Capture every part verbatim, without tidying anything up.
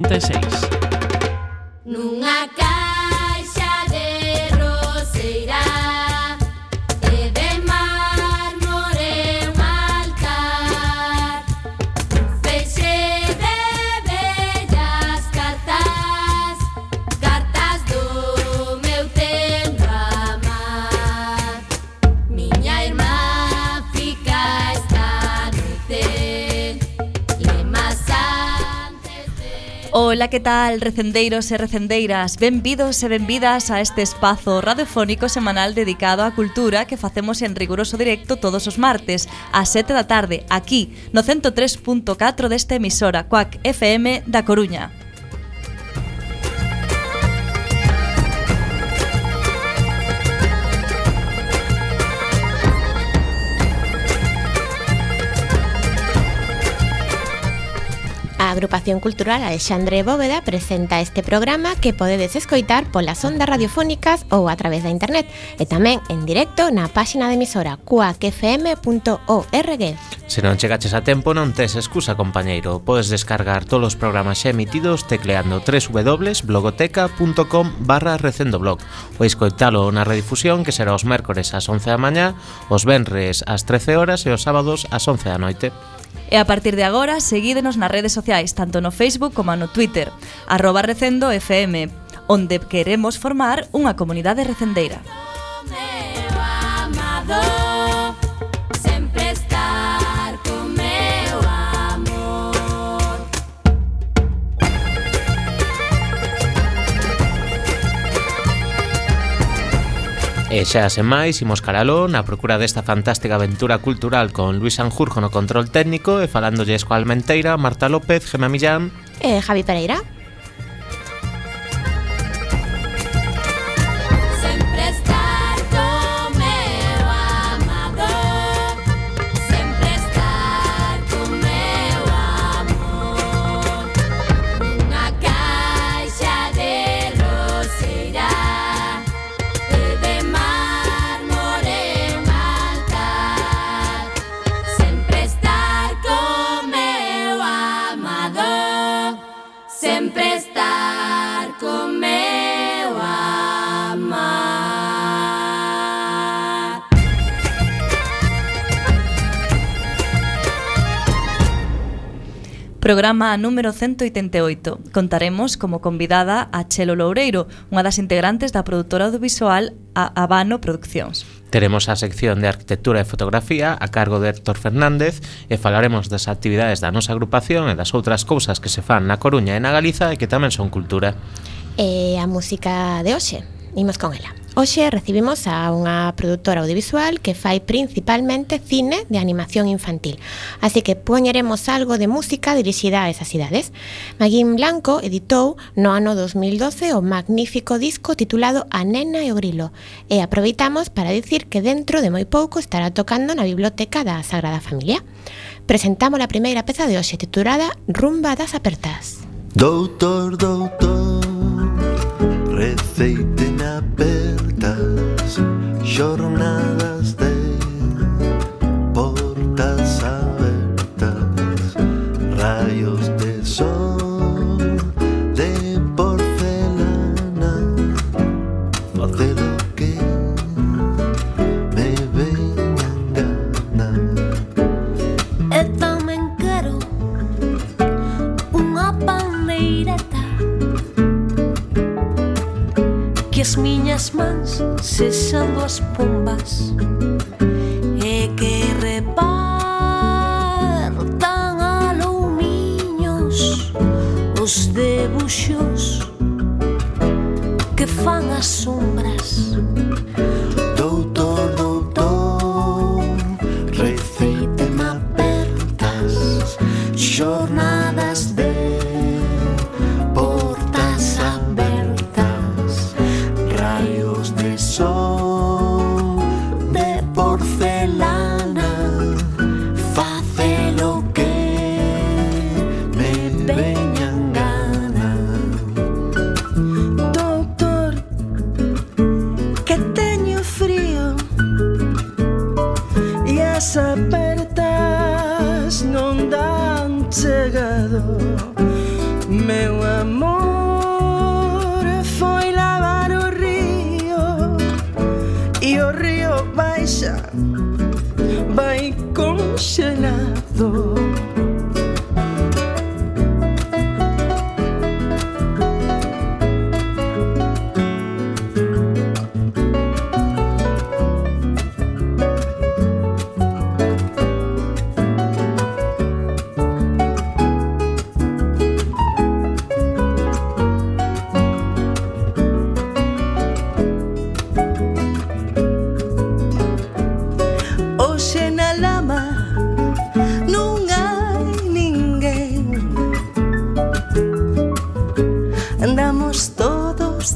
trinta e seis. Nunha caixa de roseira e de mármore un altar, feixe de bellas cartas, cartas do meu tendo amar. Miña irmá fica esta noite lemas antes de... Ola, que tal, recendeiros e recendeiras? Benvidos e benvidas a este espazo radiofónico semanal dedicado á cultura que facemos en riguroso directo todos os martes ás sete da tarde, aquí no ciento tres punto catro desta emisora Cuac F M da Coruña. A Agrupación Cultural Alexandre Bóveda presenta este programa que podedes escoitar polas ondas radiofónicas ou a través da internet e tamén en directo na páxina de emisora cuac f m punto org. Se non chegaches a tempo non tes excusa, compañeiro. Podes descargar todos os programas xa emitidos tecleando w w w punto blogoteca punto com barra recendoblog ou escoitalo na redifusión que será os mércores ás once da mañá, os venres ás trece horas e os sábados ás once da noite. E a partir de agora, seguídenos nas redes sociais, tanto no Facebook como no Twitter, arroba recendo F M, onde queremos formar unha comunidade recendeira. Meu amado, sempre estar con meu amor. E xa sen máis, imos caraló na procura desta fantástica aventura cultural con Luis Sanjurjo no control técnico e falándolles coa Almenteira, Marta López, Gemma Millán E Javi Pereira. Sempre estar con meu amado, sempre estar con meu amor. Nunha caixa de roseira e de mármore un altar, sempre estar con meu amado, sempre estar con meu amar. Programa número ciento oitenta e oito. Contaremos como convidada a Chelo Loureiro, unha das integrantes da produtora audiovisual a Habano Produccións. Teremos a sección de arquitectura e fotografía a cargo de Héctor Fernández e falaremos das actividades da nosa agrupación e das outras cousas que se fan na Coruña e na Galiza e que tamén son cultura. E a música de hoxe, imos con ela. Hoxe recibimos a unha produtora audiovisual que fai principalmente cine de animación infantil, así que poñeremos algo de música dirixida a esas idades. Maguín Blanco editou no ano dos mil doce o magnífico disco titulado A Nena e o Grilo, e aproveitamos para dicir que dentro de moi pouco estará tocando na biblioteca da Sagrada Familia. Presentamos a primeira peza de hoxe titulada Rumba das Apertas. Doutor, doutor, receíteme apertas, jornadas de portas abertas, rayos de sol de porcelana, facer lo que me veñan gana. E tamén quero unha pandeireta, que as miñas mans sexan as pombas e que repartan alumiños os debuxos que fan as sombras. Doutor, doutor, receíteme apertas, jornadas de portas abertas, rayos de sol de porcelana, face lo que me veñan gana. Doutor, que teño amor foi lavar o río e o río baixa, vai congelado.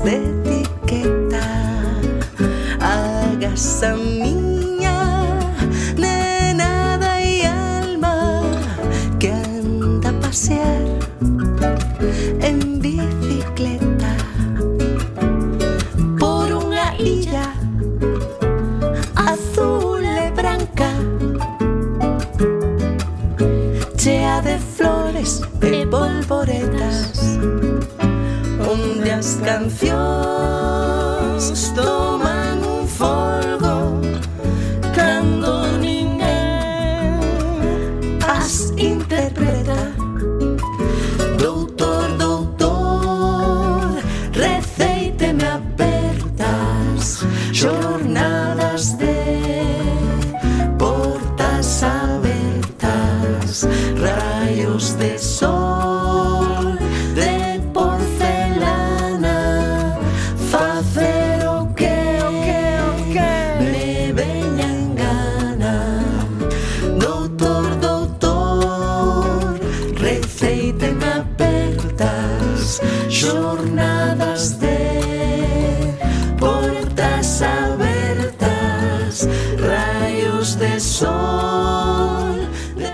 De etiqueta, agaza miña nenada e alma que anda a pasear en bicicleta por unha illa azul e branca, chea de flores e polvoretas, onde as cancións toman un folgo cando ninguén as interpreta. Doutor, doutor, receíteme abertas xornadas de portas abertas, raios de sol de porcelana, facer o que, o que, o que me veña en gana. Doutor, doutor, receíteme abertas xornadas de portas abertas, raios de sol de...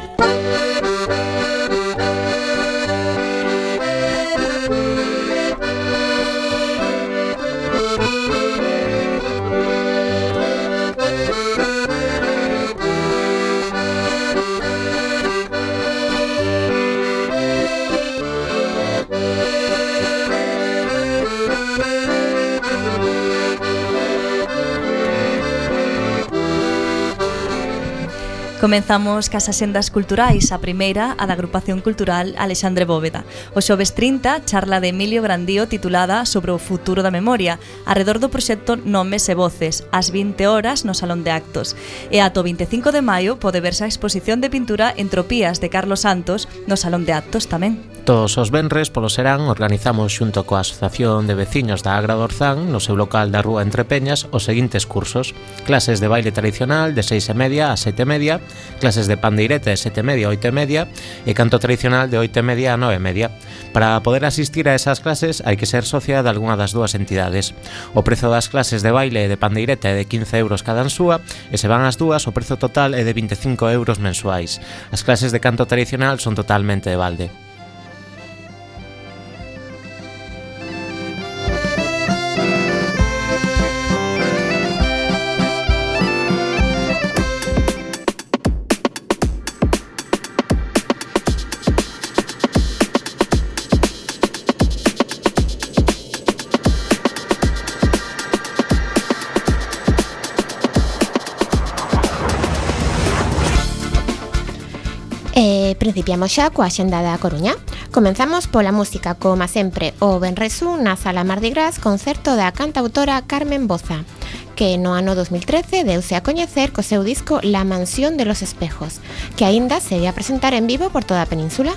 Comenzamos cas axendas culturais, a primeira, a da Agrupación Cultural Alexandre Bóveda. O xoves trinta, charla de Emilio Grandío titulada Sobre o futuro da memoria, arredor do proxecto Nomes e Voces, ás vinte horas no Salón de Actos. E ato vinte e cinco de maio pode verse a exposición de pintura Entropías de Carlos Santos no Salón de Actos tamén. Todos os venres polo serán organizamos xunto coa Asociación de Veciños da Agra do Orzán no seu local da Rúa Entre Peñas os seguintes cursos: clases de baile tradicional de seis e media a sete e media, clases de pandeireta de sete e media a oito e media e canto tradicional de oito e media a nove e media. Para poder asistir a esas clases hai que ser socia de algunha das dúas entidades. O prezo das clases de baile e de pandeireta é de quince euros cada ansúa e se van as dúas o prezo total é de vinte e cinco euros mensuais. As clases de canto tradicional son totalmente de balde. E principiamos xa coa xenda da Coruña. Comenzamos pola música, como sempre, o Benresú na Sala Mardi Gras, concerto da cantautora Carmen Boza, que no ano dos mil trece deuse a coñecer co seu disco La Mansión de los Espejos, que aínda se vai a presentar en vivo por toda a península.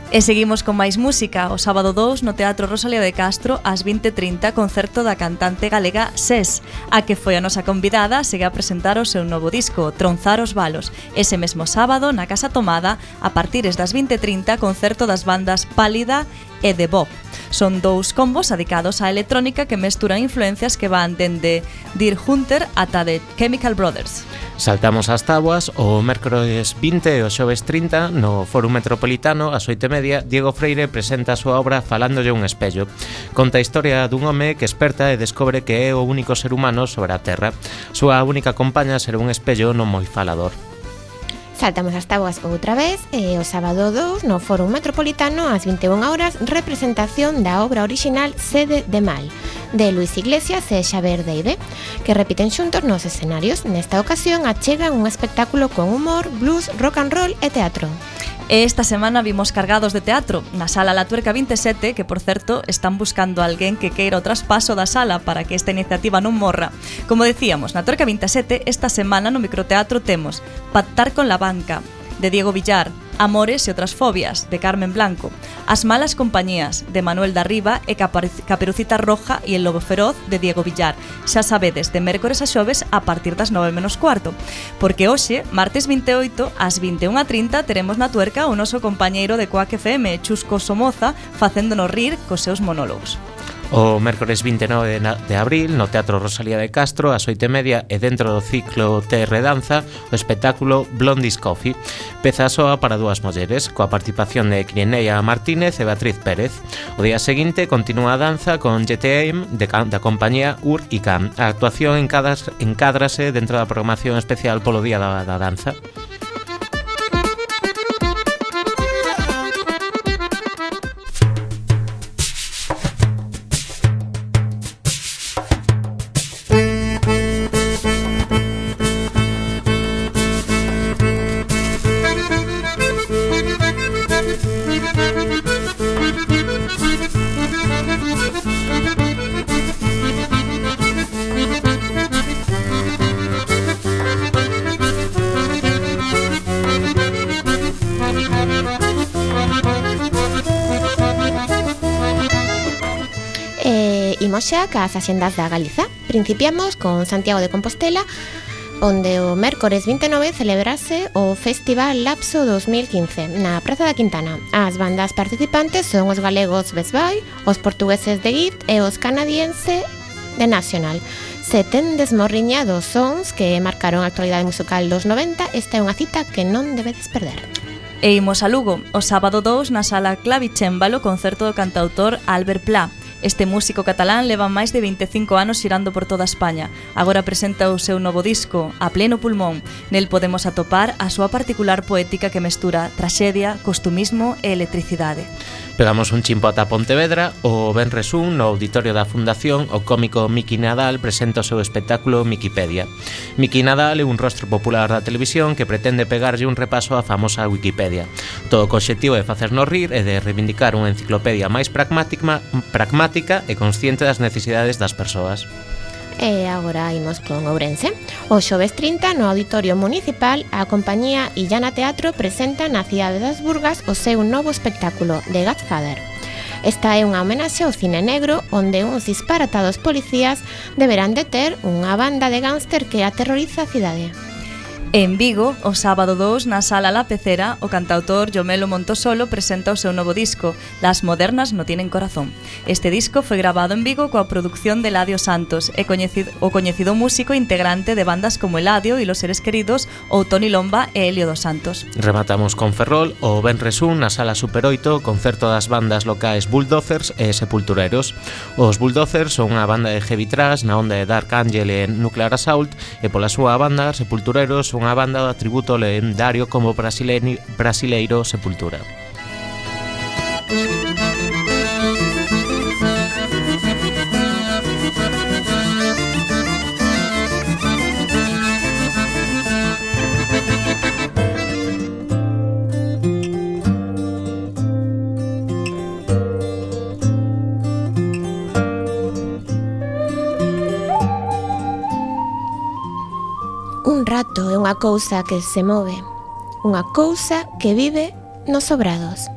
E seguimos con máis música. O sábado dous no Teatro Rosalía de Castro ás vinte e trinta, concerto da cantante galega Ses, a que foi a nosa convidada, segue a presentar o seu novo disco, Tronzar os Balos. Ese mesmo sábado na Casa Tomada, a partires das vinte e trinta, concerto das bandas Pálida e The Bob. Son dous combos dedicados á electrónica que mesturan influencias que van dende Deer Hunter ata The Chemical Brothers. Saltamos ás táboas. O mércores vinte e o xoves trinta no Fórum Metropolitano ás oito e media, Diego Freire presenta a súa obra Falándolle un espello. Conta a historia dun home que esperta e descobre que é o único ser humano sobre a Terra. Súa única compaña será un espello non moi falador. Saltamos as táboas outra vez e o sábado dous no Fórum Metropolitano ás vinte e unha horas representación da obra orixinal Sede de Mal de Luis Iglesias e Xavier Deide, que repiten xuntos nos escenarios. Nesta ocasión achegan un espectáculo con humor, blues, rock and roll e teatro. E esta semana vimos cargados de teatro na Sala La Tuerca vinte e sete, que por certo están buscando a alguén que queira o traspaso da sala para que esta iniciativa non morra. Como decíamos, na Tuerca vinte e sete esta semana no microteatro temos Pactar con la banca, de Diego Villar, Amores e outras fobias, de Carmen Blanco, As malas compañías, de Manuel Darriba e Caperucita Roja e El lobo feroz, de Diego Villar. Xa sabedes, de mércores a xoves a partir das nove menos cuarto, porque hoxe, martes vinte e oito, ás vinte e unha e trinta, teremos na Tuerca o noso compañeiro de Coac F M, Chusco Somoza, facéndonos rir cos seus monólogos. O mércores vinte e nove de abril no Teatro Rosalía de Castro ás oito e media e dentro do ciclo T R Danza o espectáculo Blondie's Coffee, peza soa para dúas mulleres, coa participación de Quirinea Martínez e Beatriz Pérez. O día seguinte continúa a danza con G T M de, da compañía U R I C A M. A actuación encádrase dentro da programación especial polo Día da, da Danza. Imos xa cas axendas da Galiza. Principiamos con Santiago de Compostela, onde o mércores vinte e nove celebrase o Festival Lapso dos mil quince na Praza da Quintana. As bandas participantes son os galegos Best Buy, os portugueses de Gift e os canadiense de National. Se ten desmorriñados sons que marcaron a actualidade musical dos noventa, esta é unha cita que non debedes perder. E imos a Lugo, o sábado dous na Sala Clavicémbalo, concerto do cantautor Albert Pla. Este músico catalán leva máis de vinte e cinco anos xirando por toda España. Agora presenta o seu novo disco, A pleno pulmón. Nel podemos atopar a súa particular poética que mestura traxedia, costumismo e electricidade. Pegamos un chimpo ata Pontevedra. O venres un, no auditorio da Fundación, o cómico Miki Nadal presenta o seu espectáculo Mikipedia. Miki Nadal é un rostro popular da televisión que pretende pegarlle un repaso á famosa Wikipedia. Todo co obxectivo de facernos rir e de reivindicar unha enciclopedia máis pragmática, pragmática e consciente das necesidades das persoas. E agora imos con Ourense. O xoves trinta, no Auditorio Municipal, a compañía Illana Teatro presenta na cidade das Burgas o seu novo espectáculo, The Godfather. Esta é unha homenaxe ao cine negro, onde uns disparatados policías deberán deter unha banda de gángster que aterroriza a cidade. En Vigo, o sábado dous, na Sala La Pecera, o cantautor Yomelo Montosolo presenta o seu novo disco, Las modernas no tienen corazón. Este disco foi grabado en Vigo coa produción de Eladio Santos e coñecido, o coñecido músico integrante de bandas como Eladio e Los Seres Queridos ou Toni Lomba e Helio dos Santos. Rematamos con Ferrol, o venres un, na Sala Super oito, concerto das bandas locais Bulldozers e Sepultureros. Os Bulldozers son unha banda de heavy thrash na onda de Dark Angel e Nuclear Assault, e pola súa banda Sepultureros unha banda de tributo lendario como brasileiro, brasileiro Sepultura. Un rato é unha cousa que se move, unha cousa que vive nos sobrados.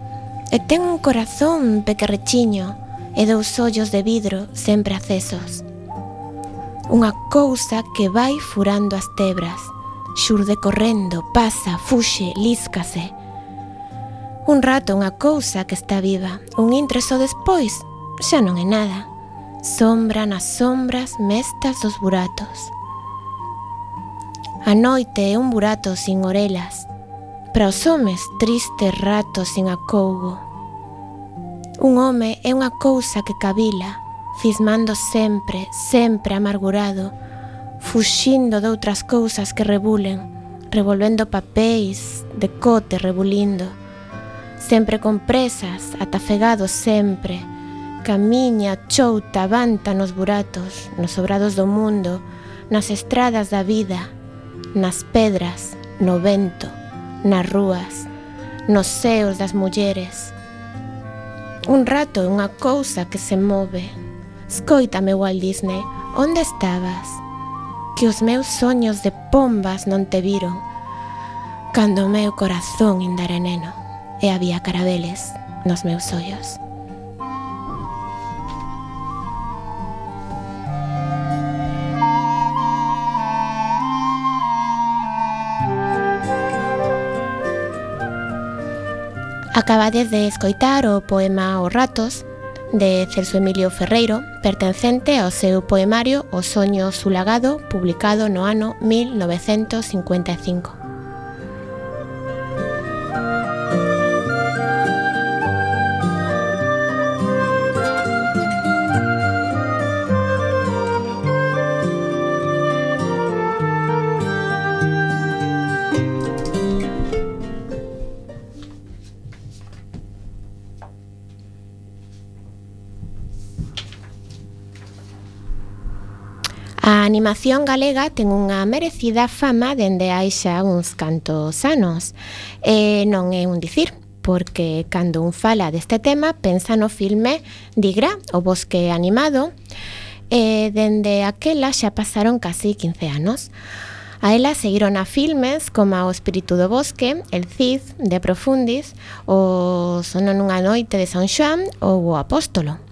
E ten un corazón pequerrechiño e dous ollos de vidro sempre acesos. Unha cousa que vai furando as tebras, xurde correndo, pasa, fuxe, líscase. Un rato unha cousa que está viva, un intreso despois xa non é nada. Sombra nas sombras mestas dos buratos. A noite é un burato sin orelas, para os homes tristes ratos sin acougo. Un home é unha cousa que cabila, cismando sempre, sempre amargurado, fuxindo de outras cousas que rebulen, revolvendo papéis, decote rebulindo, sempre con presas, atafegados sempre, camiña, chouta, vanta nos buratos, nos sobrados do mundo, nas estradas da vida, nas pedras, no vento, nas rúas, nos seos das mulleres. Un rato é unha cousa que se move. Escoítame, Walt Disney, onde estabas? Que os meus soños de pombas non te viron, cando o meu corazón ainda era neno e había carabeles nos meus ollos. Acabades de escoitar o poema Os ratos, de Celso Emilio Ferreiro, pertencente ao seu poemario O soño sulagado, publicado no ano mil novecentos cincuenta e cinco. A animación galega ten unha merecida fama dende hai xa uns cantos anos. E non é un dicir, porque cando un fala deste tema pensa no filme Digra, o bosque animado, e dende aquela xa pasaron casi quince anos. A ela seguiron a filmes como O espírito do bosque, El Cid, De Profundis, o Sono nunha noite de San Xoán ou O Apóstolo.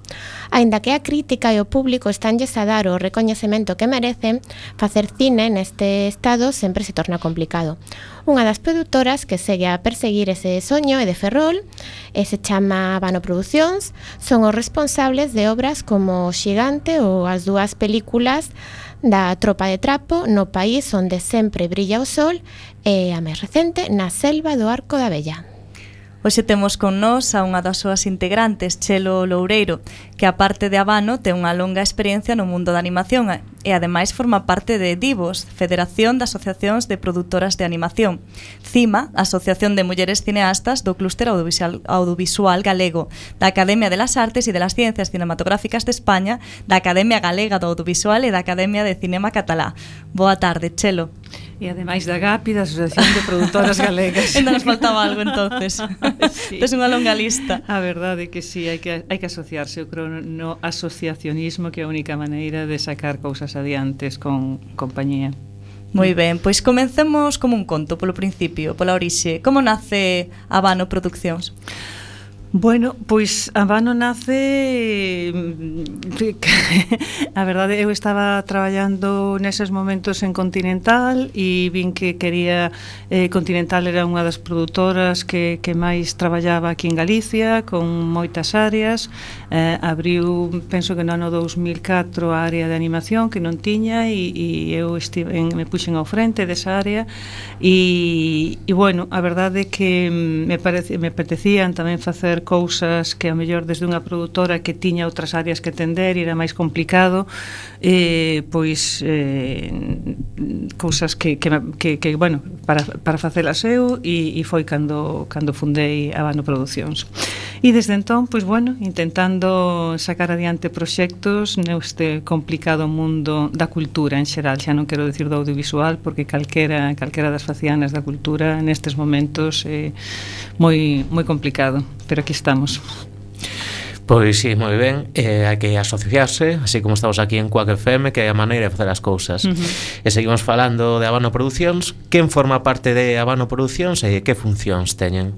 Aínda que a crítica e o público estanlles a dar o recoñecemento que merecen, facer cine neste estado sempre se torna complicado. Unha das produtoras que segue a perseguir ese soño é de Ferrol, e se chama Habano Producións, son os responsables de obras como O Xigante ou as dúas películas da Tropa de Trapo, No país onde sempre brilla o sol, e a máis recente, Na selva do Arco da Vella. Hoxe temos con nós a unha das súas integrantes, Chelo Loureiro, que aparte de Habano ten unha longa experiencia no mundo da animación e ademais forma parte de Divos, Federación de Asociacións de Produtoras de Animación, CIMA, Asociación de Mulleres Cineastas do Clúster Audiovisual, Audiovisual Galego, da Academia de las Artes e de las Ciencias Cinematográficas de España, da Academia Galega do Audiovisual e da Academia de Cinema Catalá. Boa tarde, Chelo. E ademais da GAPI, da Asociación de Produtoras Galegas. Ainda nos faltaba algo, entonces. Sí. Tes unha longa lista. A verdade é que sí, hai que, hai que asociarse, eu creo, no asociacionismo, que é a única maneira de sacar cousas adiantes con compañía. Moi ben, pois comencemos como un conto polo principio, pola orixe. Como nace Habano Produccións? Bueno, pois Habano nace, a verdade, eu estaba traballando neses momentos en Continental e vin que quería, eh, Continental era unha das produtoras que, que máis traballaba aquí en Galicia, con moitas áreas, eh, abriu, penso que no ano dous mil catro a área de animación que non tiña e, e eu estive en, me puxen ao frente desa área e, e bueno, a verdade é que me, parece, me apetecían tamén facer cousas que a mellor desde unha produtora que tiña outras áreas que atender e era máis complicado, eh, pois eh, cousas que, que, que, que bueno, para, para facelas eu e, e foi cando, cando fundei Habano Producións. E desde entón, pois bueno, intentando sacar adiante proxectos neste complicado mundo da cultura en xeral, xa non quero dicir do audiovisual, porque calquera, calquera das facianas da cultura nestes momentos é moi, moi complicado, pero aquí estamos. Pois sí, moi ben, eh, hai que asociarse, así como estamos aquí en Quack F M, que é a maneira de facer as cousas. Uh-huh. E seguimos falando de Habano Producións. Quen forma parte de Habano Producións e que funcións teñen?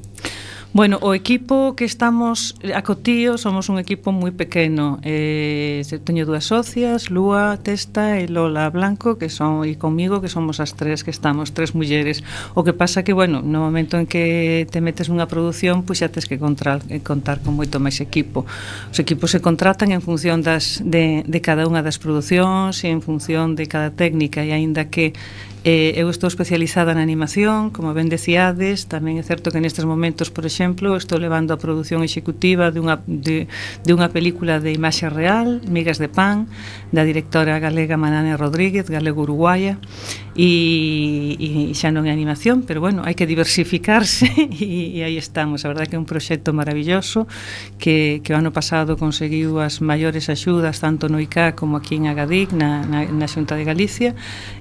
Bueno, o equipo que estamos a Cotío somos un equipo moi pequeno. Eh, teño dúas socias, Lúa Testa e Lola Blanco, que son e comigo, que somos as tres que estamos, tres mulleres. O que pasa que, bueno, no momento en que te metes nunha produción, pois xa tes que contar, contar con moito máis equipo. Os equipos se contratan en función das de, de cada unha das producións e en función de cada técnica, e aínda que Eh, eu estou especializada na animación, como ben decíades, tamén é certo que nestes momentos, por exemplo, exemplo, estou levando a produción executiva dunha, de, de unha película de imaxe real, Migas de Pan, da directora galega Manane Rodríguez, galego-uruguaya, e, e xa non é animación, pero bueno, hai que diversificarse e, e aí estamos. A verdade que é un proxecto maravilloso que, que o ano pasado conseguiu as maiores axudas tanto no I C A como aquí en Agadic, na, na, na Xunta de Galicia,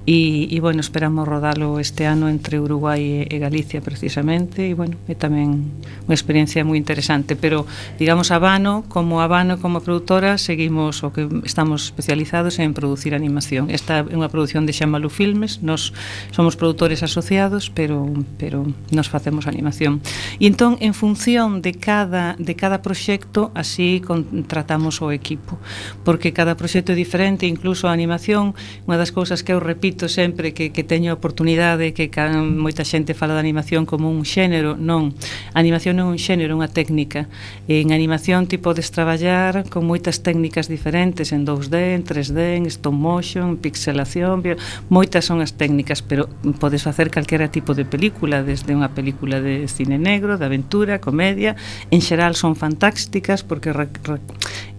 e, e bueno, esperamos rodalo este ano entre Uruguai e, e Galicia precisamente, e bueno, é tamén unha experiencia moi interesante, pero digamos Habano, como Habano como produtora, seguimos o que estamos especializados en producir animación. Esta é unha produción de Xamalu Filmes, nos somos produtores asociados, pero pero nos facemos animación. E entón, en función de cada de cada proxecto, así contratamos o equipo, porque cada proxecto é diferente, incluso a animación, unha das cousas que eu repito sempre que, que teño oportunidade, que moita xente fala de animación como un xénero, non, a animación non é un xénero, é unha técnica. En animación ti podes traballar con moitas técnicas diferentes, en dous D, en tres D, en stop motion, en pixelación, moitas son as técnicas, pero podes facer calquera tipo de película, desde unha película de cine negro, de aventura, comedia, en xeral son fantásticas, porque re, re,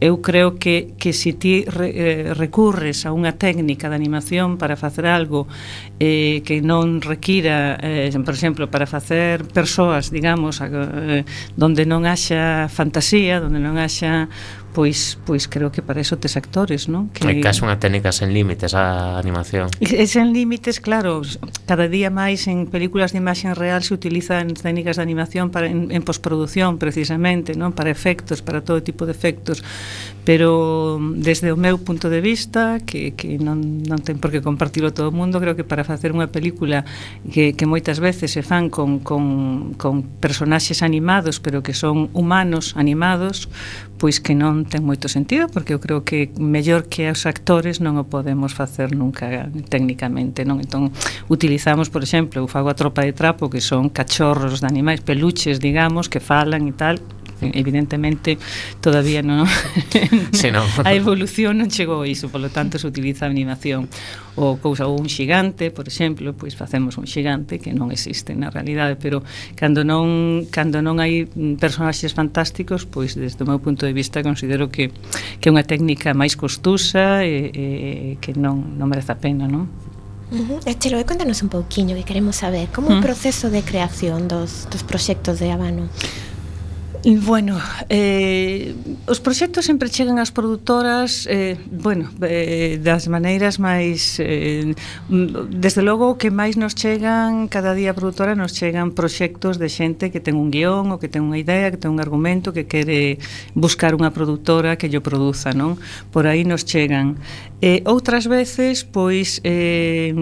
eu creo que, que se ti re, eh, recurres a unha técnica de animación para facer algo eh, que non requira, eh, por exemplo, para facer persoas, digamos, eh, donde non haxa fantasía, donde non haxa pois pois creo que para eso tes actores, non? Que é case unha técnica sen límites a animación. E sen límites, claro, cada día máis en películas de imaxe real se utilizan técnicas de animación para en, en posproducción precisamente, non? Para efectos, para todo tipo de efectos, pero desde o meu punto de vista, que, que non, non ten por que compartilo todo o mundo, creo que para facer unha película que, que moitas veces se fan con, con, con personaxes animados, pero que son humanos animados, pois que non ten moito sentido, porque eu creo que mellor que os actores non o podemos facer nunca técnicamente, non? Entón, utilizamos, por exemplo, eu fago a Tropa de Trapo, que son cachorros de animais, peluches, digamos, que falan e tal. Evidentemente todavía non sí, no. A evolución non chegou a iso, polo tanto se utiliza a animación ou cousa ou un xigante, por exemplo, pois facemos un xigante que non existe na realidade, pero cando non cando non hai personaxes fantásticos, pois desde o meu punto de vista considero que que é unha técnica máis costosa e, e que non non merece a pena, non? Uh-huh. Chelo, contanos un pouquiño que queremos saber como é o proceso de creación dos, dos proxectos de Habano. Bueno, eh, os proxectos sempre chegan ás produtoras eh, bueno, eh, das maneiras máis eh, desde logo o que máis nos chegan cada día a produtora nos chegan proxectos de xente que ten un guión ou que ten unha idea, que ten un argumento que quere buscar unha produtora que llo produza, non? Por aí nos chegan. Eh, outras veces, pois eh,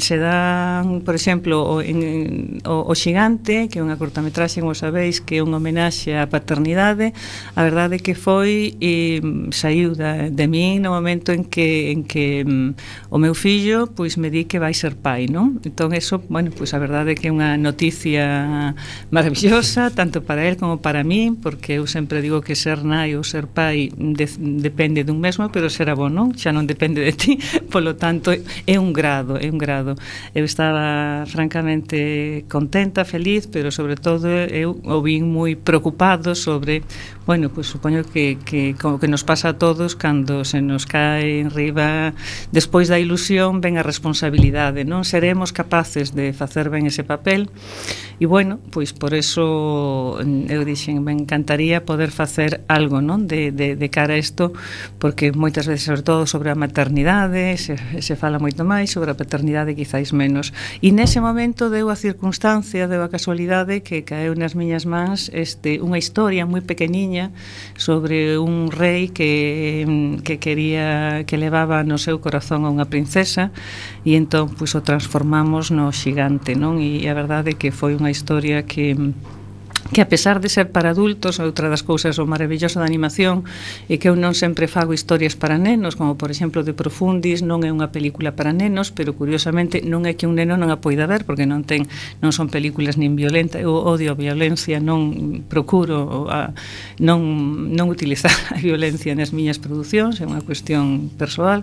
se dan, por exemplo, o, en, o, o Xigante, que é unha cortametraxe, como sabeis, que é unha homenaxe á paternidade. A verdade que foi e saiu da, de min no momento en que en que um, o meu fillo pois me di que vai ser pai, non? Entón eso, bueno, pois a verdade que é unha noticia maravillosa tanto para él como para min, porque eu sempre digo que ser nai ou ser pai de, depende dun mesmo, pero será bo, non? Xa non depende de ti, polo tanto é un grado, é un grado. Eu estaba francamente contenta, feliz, pero sobre todo eu o vin moi preocupado sobre, bueno, pois supoño que, que como que nos pasa a todos cando se nos cae en riba despois da ilusión ven a responsabilidade, non seremos capaces de facer ben ese papel e bueno, pois por eso eu dixen, me encantaría poder facer algo, non, de, de, de cara a isto, porque moitas veces, sobre todo sobre a maternidade se, se fala moito máis, sobre a paternidade quizáis menos, e nese momento deu a circunstancia, deu a casualidade que caeu nas miñas mans este, unha historia moi pequeniña sobre un rei que, que quería que levaba no seu corazón a unha princesa e entón pois o transformamos no Xigante, non? E a verdade é que foi unha historia que que a pesar de ser para adultos, outra das cousas o maravilloso da animación é que eu non sempre fago historias para nenos, como por exemplo de Profundis non é unha película para nenos, pero curiosamente non é que un neno non a poida ver, porque non ten non son películas nin violenta, eu odio a violencia, non procuro a, non, non utilizar a violencia nas miñas producións, é unha cuestión persoal,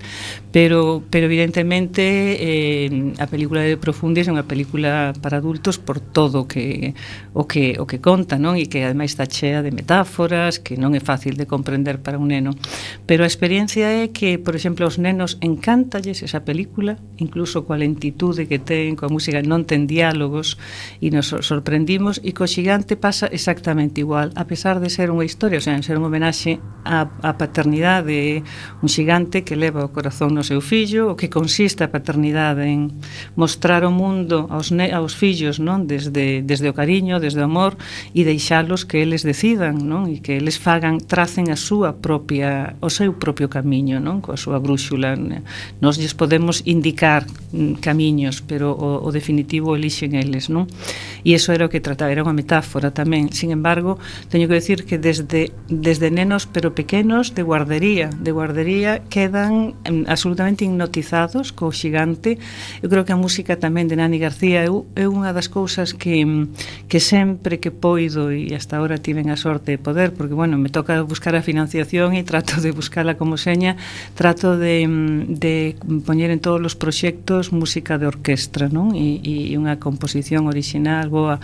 pero, pero evidentemente eh, a película de Profundis é unha película para adultos por todo o que o que, o que conta, non? E que ademais está chea de metáforas, que non é fácil de comprender para un neno. Pero a experiencia é que, por exemplo, aos nenos encántalles esa película, incluso coa lentitude que ten, coa música, non ten diálogos, e nos sorprendimos, e co Xigante pasa exactamente igual, a pesar de ser unha historia, o sea, ser un homenaxe á, á paternidade, un xigante que leva o corazón no seu fillo, o que consiste a paternidade en mostrar o mundo aos, ne aos fillos, non? Desde, desde o cariño, desde o amor, e deixalos que eles decidan, non? E que eles fagan, tracen a súa propia, o seu propio camiño, non? Coa súa brúxula. Nós lles podemos indicar mm, camiños, pero o, o definitivo elixen eles, non? E iso era o que trataba, era unha metáfora tamén. Sin embargo, teño que decir que desde, desde nenos pero pequenos de guardería, de guardería quedan mm, absolutamente hipnotizados co xigante. Eu creo que a música tamén de Nani García é unha das cousas que, que sempre que poido, e hasta ahora tiven a sorte de poder, porque, bueno, me toca buscar a financiación e trato de buscarla como seña, trato de, de poñer en todos os proxectos música de orquestra, non? E, e unha composición original boa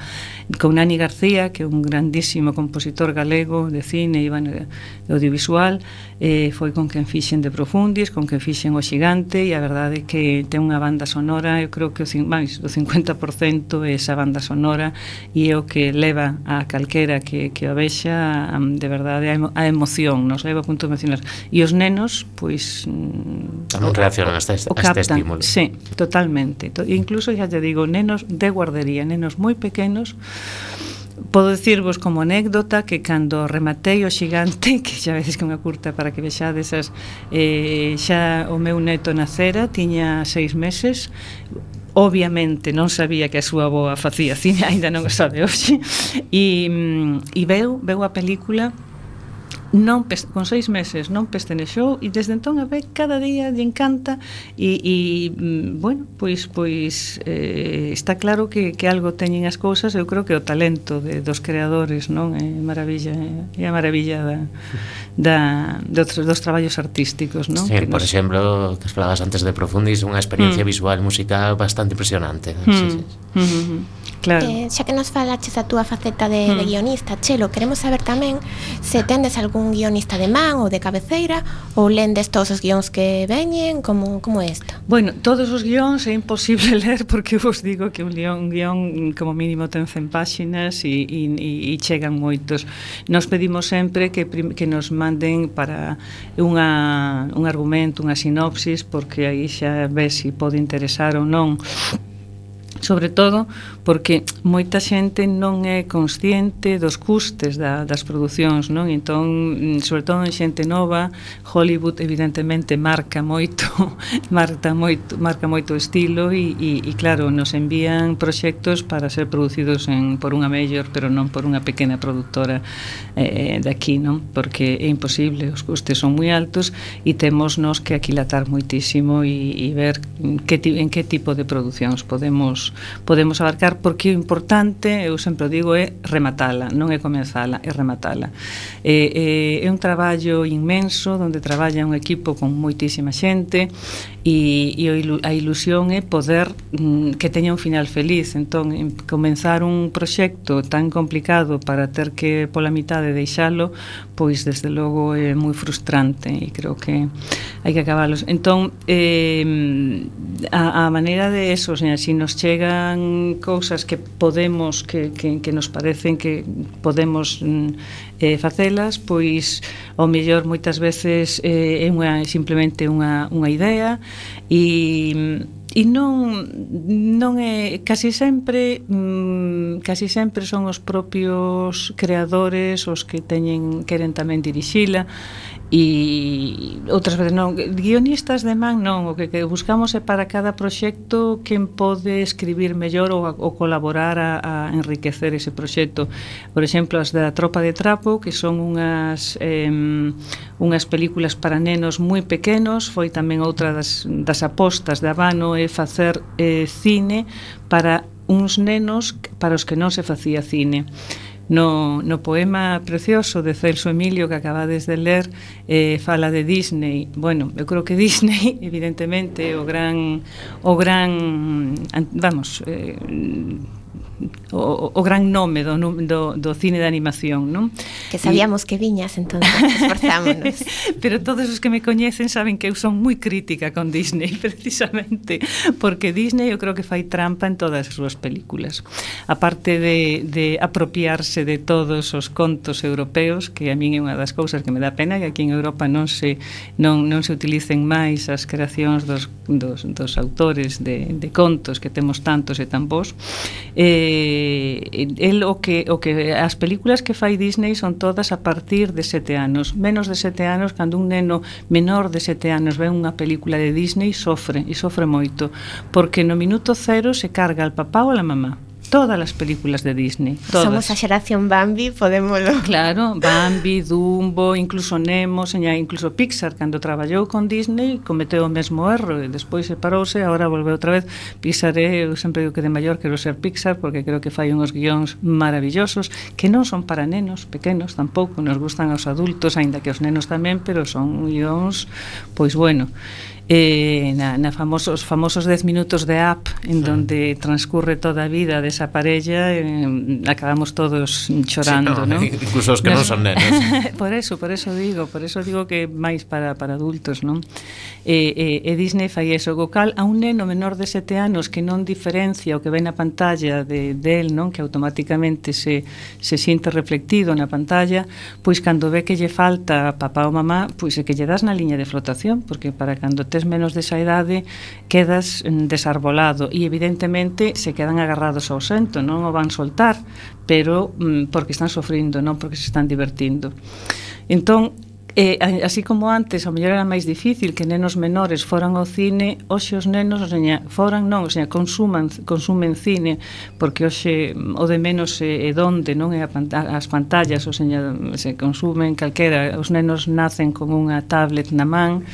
con Nani García, que é un grandísimo compositor galego de cine e, bueno, de audiovisual, eh, foi con quen fixen De Profundis, con quen fixen O Xigante, e a verdade é que ten unha banda sonora, eu creo que o, máis, o cincuenta por cento é esa banda sonora, e é o que leva a calquera que, que o vexa, de verdade, a, emo, a emoción, nos leva a punto emocional. E os nenos, pois... tamén reaccionan a este, a este estímulo. Sí, totalmente. Incluso, xa te digo, nenos de guardería, nenos moi pequenos. Podo dicirvos como anécdota que cando rematei O Xigante, que xa veces que unha curta para que vexades esas, eh, xa o meu neto nacera, tiña seis meses. Obviamente non sabía que a súa avoa facía cine, aínda non o sabe hoxe, e, e veu, veu a película, non con seis meses non pestenexou, e desde entón a ver cada día lle encanta, e, e bueno, pois pois eh, está claro que, que algo teñen as cousas. Eu creo que o talento de, dos creadores, non, é maravilla, é a maravilla da, da, de outros, dos traballos artísticos, non? Sí, que por nos... exemplo, que falabas antes de Profundis, unha experiencia mm. visual musical bastante impresionante. Mm. Sí, sí. Mm-hmm. Claro. Eh, xa que nos falaches a túa faceta de, mm. de guionista, Chelo, queremos saber tamén se tendes algún guionista de man ou de cabeceira, ou lendes todos os guións que veñen, como, como é isto? Bueno, todos os guións é imposible ler, porque vos digo que un guión, un guión como mínimo ten cen páxinas e, e, e chegan moitos. Nos pedimos sempre que, que nos manden para unha, un argumento, unha sinopsis, porque aí xa ves se pode interesar ou non. Sobre todo porque moita xente non é consciente dos custes da, das producións, non? Entón, sobre todo en xente nova, Hollywood evidentemente marca moito, marca moito, marca moito o estilo, e, e, e claro, nos envían proxectos para ser producidos en, por unha mellor, pero non por unha pequena produtora eh, de aquí, non? Porque é imposible, os custes son moi altos, e temos nos que aquilatar moitísimo e, e ver que, en que tipo de producións podemos podemos abarcar, porque o importante, eu sempre digo, é rematala, non é comenzala, é rematala. É, é, é un traballo inmenso, onde traballa un equipo con moitísima xente, e, e a ilusión é poder mm, que teña un final feliz. Entón, comenzar un proxecto tan complicado para ter que pola mitade deixalo, pois desde logo é moi frustrante, e creo que hai que acabalos. Entón, eh, a, a maneira de eso, o sea, si nos chega cousas que podemos, que, que, que nos parecen que podemos eh, facelas, pois ao mellor moitas veces eh, é unha, simplemente unha, unha idea, e e non non é casi sempre mmm, casi sempre son os propios creadores os que teñen queren tamén dirixila, e outras veces non, guionistas de man non, o que, que buscamos é para cada proxecto quen pode escribir mellor ou, ou colaborar a, a enriquecer ese proxecto. Por exemplo, as da Tropa de Trapo, que son unhas eh, unhas películas para nenos moi pequenos, foi tamén outra das, das apostas de Habano, é facer eh, cine para uns nenos para os que non se facía cine. No, no poema precioso de Celso Emilio que acabades de ler, eh, fala de Disney. Bueno, eu creo que Disney evidentemente o gran o gran vamos, eh, o, o gran nome do, do, do cine de animación, non? Que sabíamos y... que viñas, entonces esforzámonos. Pero todos os que me coñecen saben que eu son moi crítica con Disney, precisamente, porque Disney eu creo que fai trampa en todas as súas películas. Aparte de, de apropiarse de todos os contos europeos, que a min é unha das cousas que me dá pena, que aquí en Europa non se, non, non se utilicen máis as creacións dos, dos, dos autores de, de contos, que temos tantos e tan bons. Eh, el, o que, o que as películas que fai Disney son todas a partir de sete anos. Menos de sete anos, cando un neno menor de sete anos ve unha película de Disney, sofre, e sofre moito, porque no minuto cero se carga al papá ou a la mamá. Todas as películas de Disney, todas. Somos a xeración Bambi, podémolo. Claro, Bambi, Dumbo, incluso Nemo, seña, incluso Pixar, cando traballou con Disney, cometeu o mesmo erro e despois separouse, agora volve outra vez. Pixar é, eu sempre digo que de maior quero ser Pixar, porque creo que fai uns guións maravillosos, que non son para nenos pequenos tampouco, nos gustan aos adultos, aínda que os nenos tamén, pero son guións, pois bueno. Eh, na, na famosos famosos dez minutos de Up, en sí. donde transcurre toda a vida desa parella, eh, acabamos todos chorando, sí, no, ¿no? Incluso os que non son nenos. Por eso, por eso digo, por eso digo que máis para, para adultos, non? E, e, e Disney fai eso, co cal a un neno menor de sete anos que non diferencia o que ve na pantalla de del, non? Que automáticamente se, se siente reflectido na pantalla, pois cando ve que lle falta papá ou mamá, pois é que lle das na liña de flotación, porque para cando tes menos desa idade quedas desarbolado e evidentemente se quedan agarrados ao sento, non o van soltar, pero mm, porque están sofrindo, non porque se están divertindo. Entón, Eh, así como antes, a mellor era máis difícil que nenos menores foran ao cine, hoxe os nenos, o seña, foran non, o seña, consuman, consumen cine, porque hoxe o de menos é, é donde, non é a panta, as pantallas, o seña, se consumen calquera, os nenos nacen con unha tablet na man,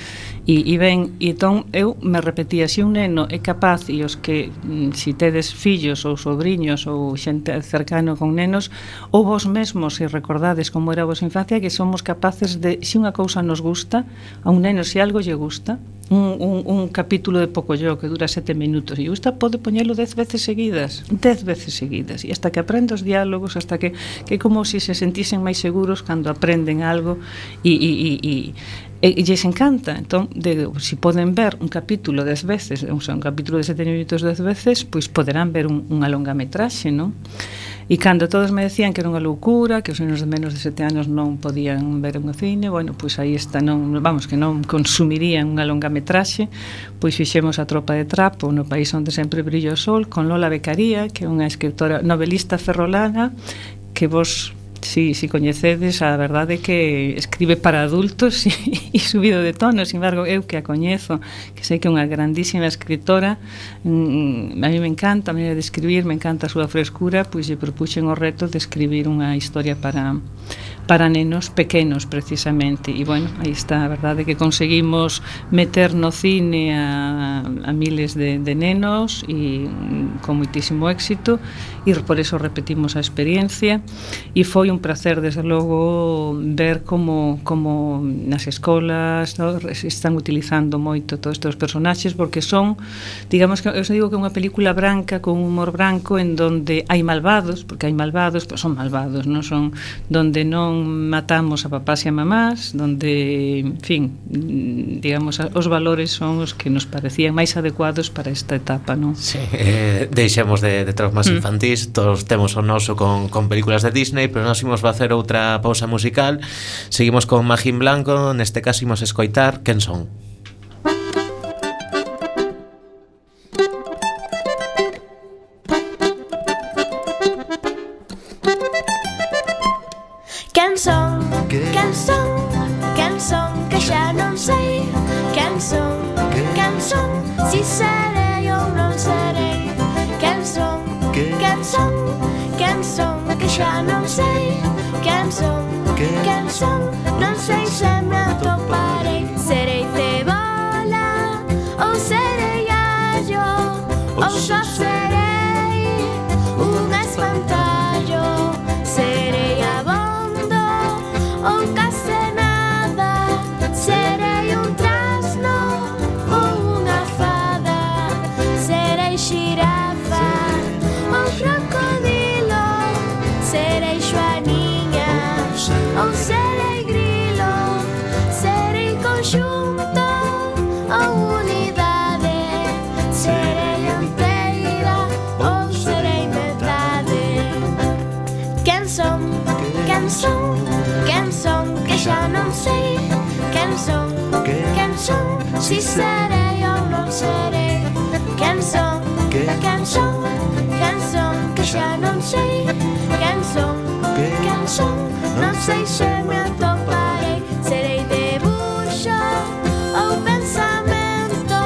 e, e ben, e entón eu me repetía, se un neno é capaz, e os que, si tedes fillos ou sobriños ou xente cercano con nenos, ou vos mesmos, se recordades como era a vosa infancia, que somos capaces de, se unha cousa nos gusta, a un neno, se algo lle gusta, un, un, un capítulo de Pocoyo que dura sete minutos e lle gusta, pode poñelo dez veces seguidas, dez veces seguidas, e hasta que aprende os diálogos, hasta que, que é como se se sentisen máis seguros cando aprenden algo, e, e, e, e e lles encanta. Entón, de, si poden ver un capítulo dez veces, o sea, un capítulo de sete minutos dez veces, pois poderán ver un, unha longametraxe, non? E cando todos me decían que era unha loucura, que os nenos de menos de sete anos non podían ver un cine, bueno, pois aí está, non, vamos, que non consumirían unha longametraxe, pois fixemos A tropa de trapo no país onde sempre brilla o sol, con Lola Beccaria, que é unha escritora novelista ferrolana, que vos... Si, si coñecedes, a verdade é que escribe para adultos e, e subido de tono. Sin embargo, eu que a coñezo, que sei que é unha grandísima escritora, mmm, a mí me encanta a maneira de escribir, me encanta a súa frescura, pois lle propuxen o reto de escribir unha historia para para nenos pequenos, precisamente. E, bueno, aí está, a verdade que conseguimos meter no cine a, a miles de, de nenos e con moitísimo éxito, e por eso repetimos a experiencia, e foi un placer, desde logo, ver como, como nas escolas, no, están utilizando moito todos estes personaxes, porque son, digamos que eu digo que é unha película branca con humor branco, en donde hai malvados, porque hai malvados, pero son malvados, non son, donde non matamos a papás e a mamás, donde, en fin, digamos, os valores son os que nos parecían máis adecuados para esta etapa, non? Sí, eh, deixemos de, de traumas mm. infantís, todos temos o noso con, con películas de Disney, pero nós imos facer outra pausa musical. Seguimos con Magín Blanco, neste caso imos escoitar Quen son. Quen son, quen son, quen son, que xa non sei. Quen son, quen son, si serei ou non serei. Quen son, quen son, quen son, que xa non sei. Quen son, quen son, non sei se me atoparei. Serei cebola ou serei allo, ou só serei un espantallo. Serei abondo ou case nada, serei un trasno ou unha fada, serei xirafa ou crocodilo. si serei ou non serei. Quen son, quen son, quen son, que xa non sei. Quen son, quen son, non sei se me atoparei. Serei debuxo ou pensamento,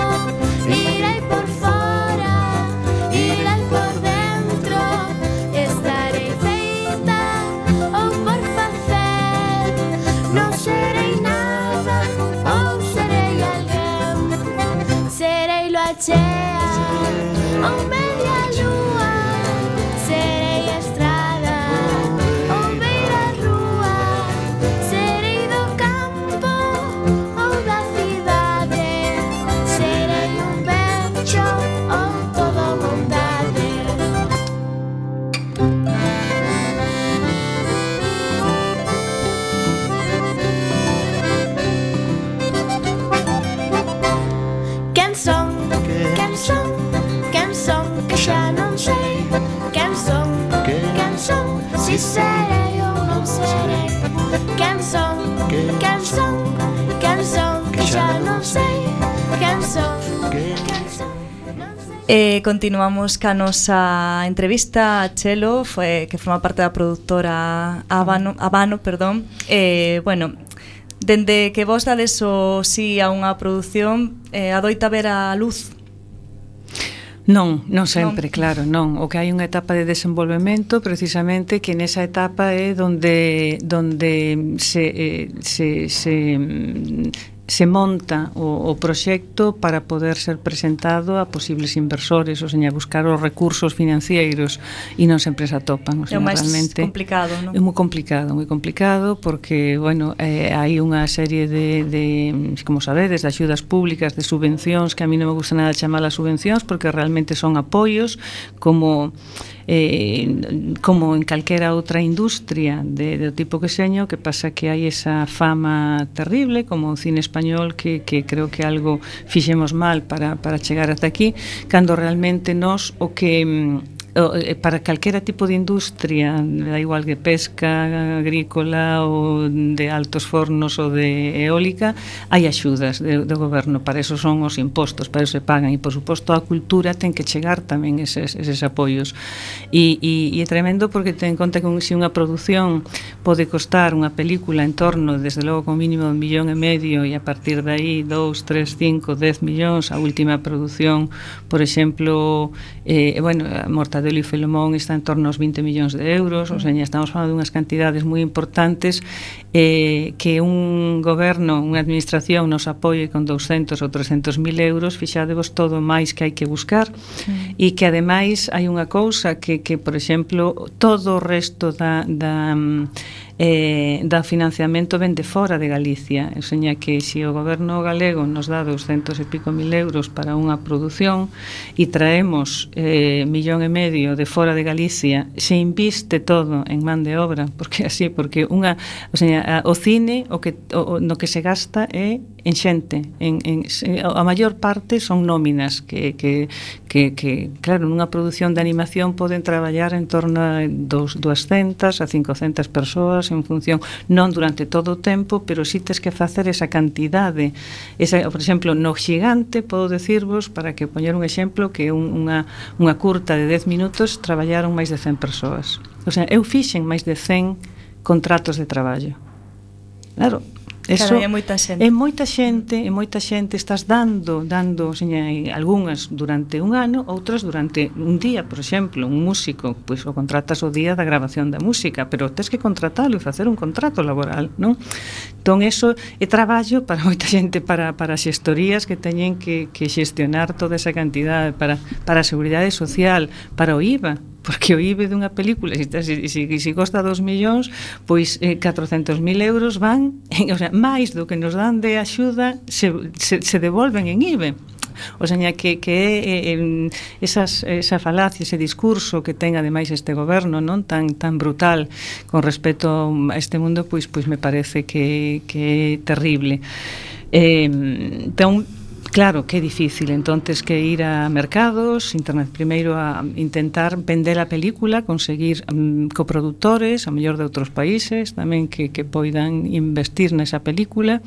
irei por fora, irei por dentro. Estarei feita ou por facer, non serei nada ou serei alguén. Serei lua chea ou media lúa, serei estrada ou beira rúa, serei do campo ou da cidade, serei un becho ou toda bondade. Quen son, quen son, quen son, que xa non sei. Quen son, quen son, si serei ou non serei. Quen son, quen son, quen son, que xa non sei. Quen son, quen son, non sei. E continuamos ca nosa entrevista a Chelo, foi, que forma parte da produtora Habano, Habano, perdón. E, bueno, dende que vos dades o sí a unha produción, eh, adoita ver a luz. Non, non sempre, Non. claro, non. O que hai unha etapa de desenvolvemento, precisamente, que nesa etapa é donde donde se eh, se se mm, se monta o, o proxecto para poder ser presentado a posibles inversores, ou seña, buscar os recursos financeiros, e non sempre se atopan, o É sea, o máis realmente complicado, non? é moi complicado, moi complicado, porque, bueno, eh, hai unha serie de, de, como sabedes, de axudas públicas, de subvencións, que a mí non me gusta nada chamalas subvencións, porque realmente son apoios, como eh, como en calquera outra industria de, de tipo que seño, que pasa que hai esa fama terrible, como o cine español, que, que creo que algo fixemos mal para, para chegar ata aquí, cando realmente nós o que para calquera tipo de industria, da igual que pesca, agrícola ou de altos fornos ou de eólica, hai axudas do goberno, para eso son os impostos, para eso se pagan, e por suposto a cultura ten que chegar tamén eses, eses apoios, e, e, e é tremendo, porque ten en conta que un, se unha produción pode costar unha película en torno, desde logo con mínimo un millón e medio, e a partir de aí dous, tres, cinco, dez millóns. A última produción, por exemplo, eh, bueno, a Mortadelo e Filemón está en torno aos vinte millóns de euros, ou seja, estamos falando de unhas cantidades moi importantes, eh, que un goberno, unha administración nos apoie con doscientos ou trescientos mil euros, fixadevos todo máis que hai que buscar, sí. E que ademais hai unha cousa que, que por exemplo, todo o resto da, da eh, da financiamento ven de fora de Galicia, ou seja, que se o goberno galego nos dá doscientos e pico mil euros para unha produción e traemos eh, millón e medio de fora de Galicia, se inviste todo en man de obra, porque así, porque unha, o sea, o cine o que o, no que se gasta é en xente, en, en, a maior parte son nóminas que, que, que, que claro, nunha produción de animación poden traballar en torno a dos, doscientas a cincocentas persoas en función, non durante todo o tempo, pero si tes que facer esa cantidade. Esa, por exemplo, no Xigante, podo decirvos, para que poñer un exemplo, que un, unha, unha curta de dez minutos traballaron máis de cen persoas. O sea, eu fixen máis de cen contratos de traballo. Claro, eso claro, é moita xente. É moita xente, é moita xente, estás dando, dando, seña, algunhas durante un ano, outras durante un día, por exemplo, un músico, pois o contratas o día da grabación da música, pero tes que contratalo e facer un contrato laboral, non? Entón, eso é traballo para moita xente, para, para xestorías que teñen que, que xestionar toda esa cantidade, para, para a seguridade social, para o I V A, porque o I V A dunha película, se, se, se, se costa dos millóns, pois eh, catrocentos mil euros van, o sea, máis do que nos dan de axuda se, se, se devolven en I V A. O sea, que, que é eh, esas, esa falacia, ese discurso que ten ademais este goberno, non tan tan brutal con respecto a este mundo, pois pois me parece que, que é terrible. Eh, entón, claro que é difícil, entonces que ir a mercados internet, primeiro a intentar vender a película, conseguir um, coproductores, a mellor de outros países tamén que, que poidan investir nesa película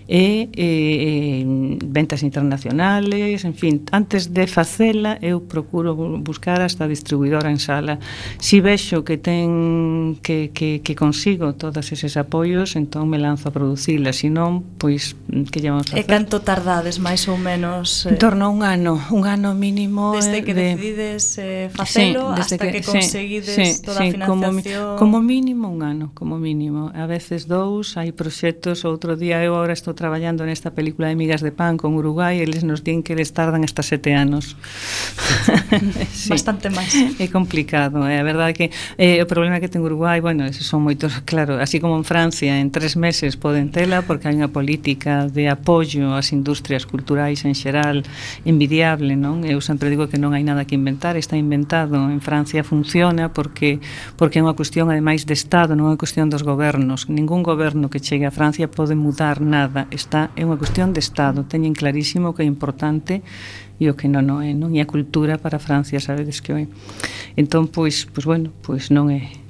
e eh, ventas internacionales, en fin, antes de facela eu procuro buscar hasta distribuidora en sala. Si vexo que ten que, que, que consigo todos eses apoios, entón me lanzo a producila, se non, pois que lle vamos a facer? E canto tardades máis ou menos? Eh, en torno a un ano, un ano mínimo desde que de... decides eh, facelo sí, hasta que, que conseguides sí, toda sí, a financiación. Como, como mínimo un ano, como mínimo. A veces dous, hai proxectos, outro día eu agora estou traballando nesta película de Migas de Pan con Uruguai, eles nos din que eles tardan hasta sete anos. Sí. Bastante máis. É complicado, é eh? a verdade que eh, o problema que ten Uruguai, bueno, esos son moitos, claro, así como en Francia, en tres meses poden tela porque hai unha política de apoio ás industrias culturais en xeral envidiable, non? Eu sempre digo que non hai nada que inventar, está inventado. En Francia funciona porque porque é unha cuestión ademais de Estado, non é unha cuestión dos gobernos. Ningún goberno que chegue a Francia pode mudar nada, está é unha cuestión de Estado. Teñen clarísimo que é importante e o que non, non é, non? E a cultura para Francia, sabedes que é. Entón, pois, pois bueno, pois non é.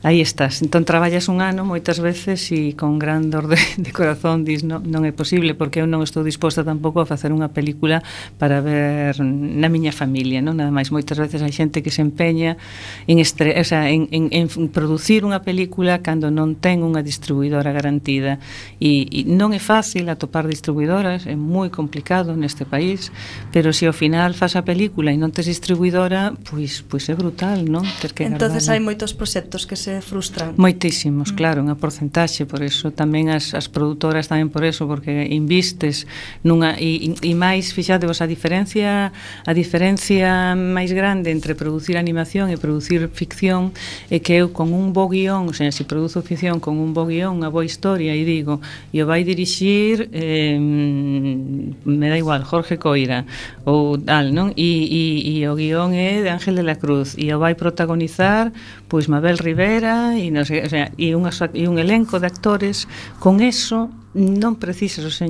Aí estás. Entón traballas un ano moitas veces e con gran dor de, de corazón dis non, non é posible porque eu non estou disposta tampouco a facer unha película para ver na miña familia, non? Nada máis, moitas veces hai xente que se empeña en, estre, o sea, en, en, en producir unha película cando non ten unha distribuidora garantida e, e non é fácil atopar distribuidoras, é moi complicado neste país, pero se ao final faz a película e non tes distribuidora, pois, pois é brutal, non? Ter que entonces guardala. Hai moitos proxectos que se frustran. Moitísimos, mm. claro, unha porcentaxe, por eso tamén as, as produtoras tamén por eso, porque invistes nunha e, e máis, fixadevos, a diferencia a diferencia máis grande entre producir animación e producir ficción é que eu con un bo guión, o sea, se produzo ficción con un bo guión, unha boa historia e digo, e o vai dirixir eh, me dá igual, Jorge Coira ou tal, non? E, e, e o guión é de Ángel de la Cruz e o vai protagonizar pois Mabel Rivera e non sei, o sea, e, unha, e un elenco de actores, con eso non precisas, o sea,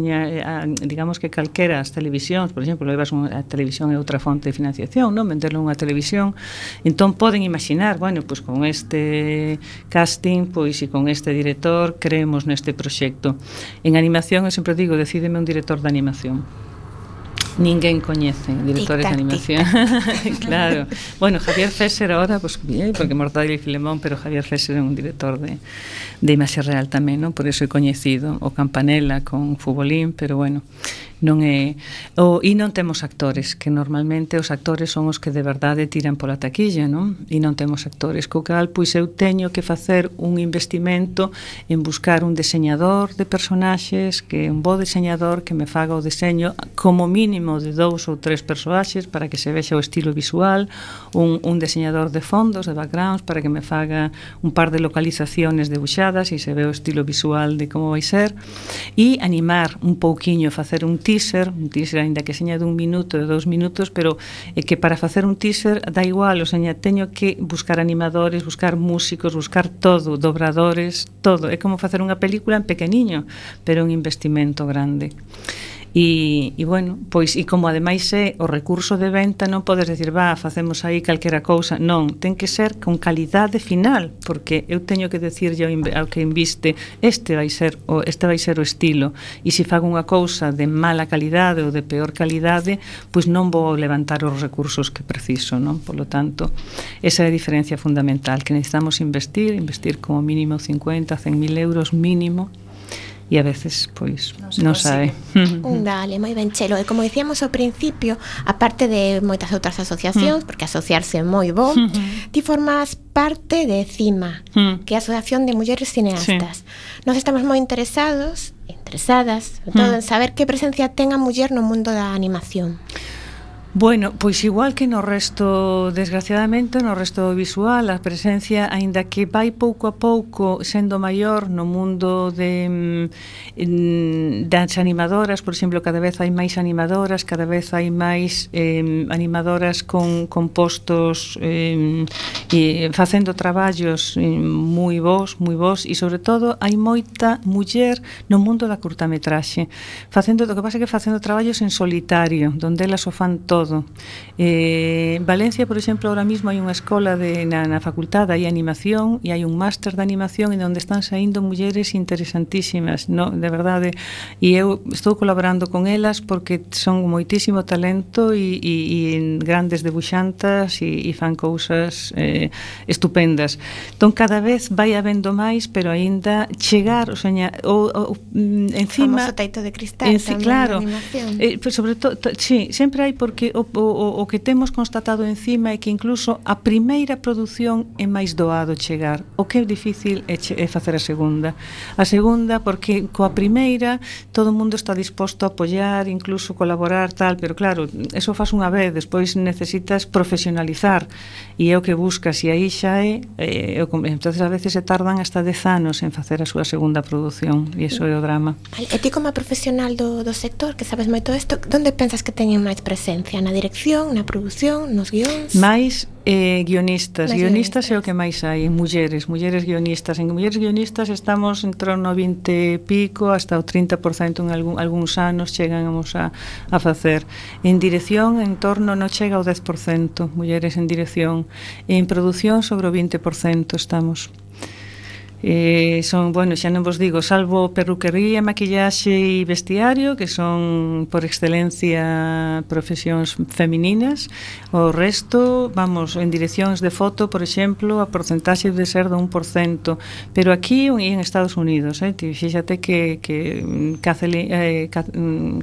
digamos que calquera as televisións, por exemplo, levas unha, a televisión é outra fonte de financiación, non? Venderlo unha televisión, entón poden imaginar, bueno, pois con este casting, pois e con este director creemos neste proxecto. En animación, eu sempre digo, decídeme un director de animación. Ninguén coñece directores de animación. Claro. Bueno, Javier Fesser ahora, pues bien, porque Mortadelo y Filemón, pero Javier Fesser é un director de, de imaxe real tamén, non? Por eso é coñecido. O Campanella con Futbolín, pero bueno, non é o, e non temos actores, que normalmente os actores son os que de verdade tiran pola taquilla, non? E non temos actores, co cal pois eu teño que facer un investimento en buscar un deseñador de personaxes, que un bo deseñador que me faga o deseño como mínimo de dous ou tres personaxes para que se vexa o estilo visual, un, un deseñador de fondos, de backgrounds, para que me faga un par de localizaciones debuxadas e se ve o estilo visual de como vai ser, e animar un pouquiño, facer un teaser, un teaser ainda que seña dun minuto, de dous minutos, pero é que para facer un teaser dá igual, o seña, teño que buscar animadores, buscar músicos, buscar todo, dobradores, todo, é como facer unha película en pequeniño, pero un investimento grande. E, e bueno, pois e como ademais é o recurso de venta, non podes decir, va, facemos aí calquera cousa, non, ten que ser con calidade final, porque eu teño que decirlle ao que inviste, este vai ser o este vai ser o estilo, e se fago unha cousa de mala calidade ou de peor calidade, pois non vou levantar os recursos que preciso, non? Por lo tanto, esa é a diferencia fundamental, que necesitamos investir, investir como mínimo cincuenta, cen mil euros mínimo, e a veces, pois, non sabe. Dale, moi ben, Chelo. E como dicíamos ao principio, aparte de moitas outras asociacións, porque asociarse é moi bo, ti formas parte de CIMA, que é a Asociación de Mulleres Cineastas. Sí. Nós estamos moi interesados, interesadas, todo en saber que presencia ten a muller no mundo da animación. Bueno, pois igual que no resto, desgraciadamente, no resto visual, a presencia, aínda que vai pouco a pouco sendo maior no mundo de mm, das animadoras, por exemplo, cada vez hai máis animadoras, cada vez hai máis eh, animadoras con, con postos eh, e facendo traballos eh, moi bons, moi bons, e sobre todo hai moita muller no mundo da curtametraxe, facendo, o que pasa é que facendo traballos en solitario, donde elas o fan todo. Eh, en Valencia, por exemplo, ahora mismo hai unha escola de, na, na facultade hai animación e hai un máster de animación en onde están saindo mulleres interesantísimas, no, de verdade, e eu estou colaborando con elas porque son moitísimo talento e, e, e grandes debuxantas e, e fan cousas eh, estupendas. Entón cada vez vai habendo máis, pero aínda chegar, o sea, o, o, encima o famoso teito de cristal en, tamén, claro, na animación. Eh, pues sobre todo, sí, sempre hai, porque o, o, o que temos constatado encima é que incluso a primeira produción é máis doado chegar. O que é difícil é, che, é facer a segunda. A segunda, porque coa primeira todo o mundo está disposto a apoiar, incluso colaborar, tal, pero claro, eso faz unha vez, despois necesitas profesionalizar e é o que buscas, e aí xa é, é entonces a veces se tardan hasta dez anos en facer a súa segunda produción, e iso é o drama. E ti como profesional do, do sector, que sabes moito isto, onde pensas que teñen máis presencia? Na dirección, na produción, nos guións? Mais eh, guionistas, Mais guionistas guionistas. é o que máis hai, mulleres, mulleres guionistas. En mulleres guionistas estamos entre o vinte e pico hasta o trinta por cento en algún, algúns anos chegamos a, a facer. En dirección, en torno, non chega ao dez por cento mulleres en dirección. En produción, sobre o vinte por cento estamos. Eh, son, bueno, xa non vos digo, salvo perruquería, maquillaxe e vestiario, que son por excelencia profesións femininas, o resto, vamos, en direccións de foto, por exemplo, a porcentaxe de ser do un por cento, pero aquí e en Estados Unidos, eh, fíxate que, que Kathleen, eh,